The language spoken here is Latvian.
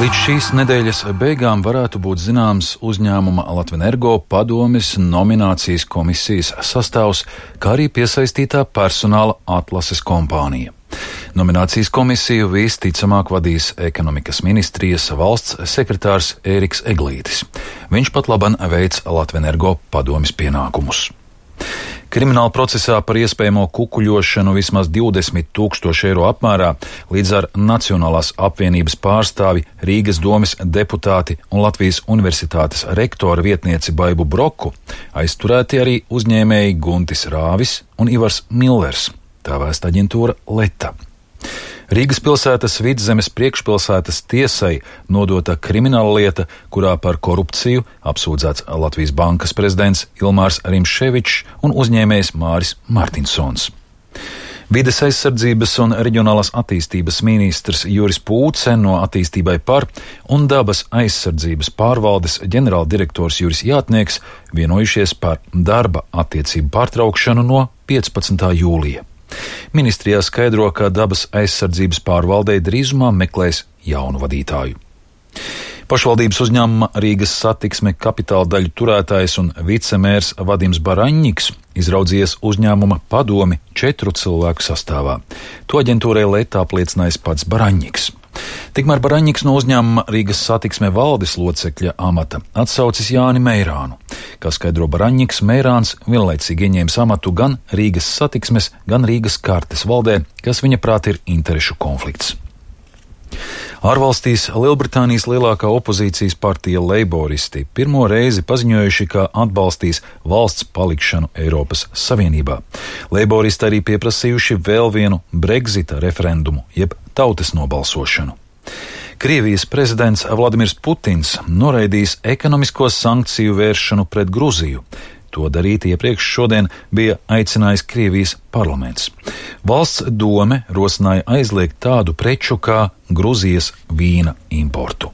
Līdz šīs nedēļas beigām varētu būt zināms uzņēmuma Latvenergo padomes nominācijas komisijas sastāvs, kā arī piesaistītā personāla atlases kompānija. Nominācijas komisiju visticamāk vadīs ekonomikas ministrijas valsts sekretārs Ēriks Eglītis. Viņš pat laban veic Latvenergo padomes pienākumus. Krimināla procesā par iespējamo kukuļošanu vismaz 20 000 eiro apmērā līdz ar Nacionālās apvienības pārstāvi, Rīgas domes deputāti un Latvijas universitātes rektora vietnieci Baibu Broku aizturēti arī uzņēmēji Guntis Rāvis un Ivars Millers, tā vēsta aģentūra Leta. Rīgas pilsētas Vidzemes priekšpilsētas tiesai nodota krimināla lieta, kurā par korupciju apsūdzēts Latvijas bankas prezidents Ilmārs Rimševičs un uzņēmējs Māris Martinsons. Vides aizsardzības un reģionālās attīstības ministrs Juris Pūce no Attīstībai par un dabas aizsardzības pārvaldes ģenerāldirektors Juris Jātnieks vienojušies par darba attiecību pārtraukšanu no 15. jūlija. Ministrijā skaidro, ka dabas aizsardzības pārvaldei drīzumā meklēs jaunu vadītāju. Pašvaldības uzņēmuma Rīgas satiksme kapitāla daļu turētājs un vicemērs Vadims Baraņņiks izraudzījies uzņēmuma padomi 4 cilvēku sastāvā. To aģentūrai Leta apliecinājis pats Baraņņiks. Tikmēr Baraņņiks no uzņēmuma Rīgas satiksme valdes locekļa amata atsaucis Jāni Meirānu. Kā skaidro Baraņņiks, Meirāns vienlaicīgi ieņēmis amatu gan Rīgas satiksmes, gan Rīgas kartes valdē, kas viņa prāt ir interešu konflikts. Ārvalstīs Lielbritānijas lielākā opozīcijas partija Leiboristi pirmo reizi paziņojuši, ka atbalstīs valsts palikšanu Eiropas Savienībā. Leiboristi arī pieprasījuši vēl vienu Brexita referendumu, jeb tautas nobalsošanu. Krievijas prezidents Vladimirs Putins noraidījis ekonomisko sankciju vēršanu pret Gruziju. To darīt iepriekš šodien bija aicinājis Krievijas parlaments. Valsts dome rosināja aizliegt tādu preču kā Gruzijas vīna importu.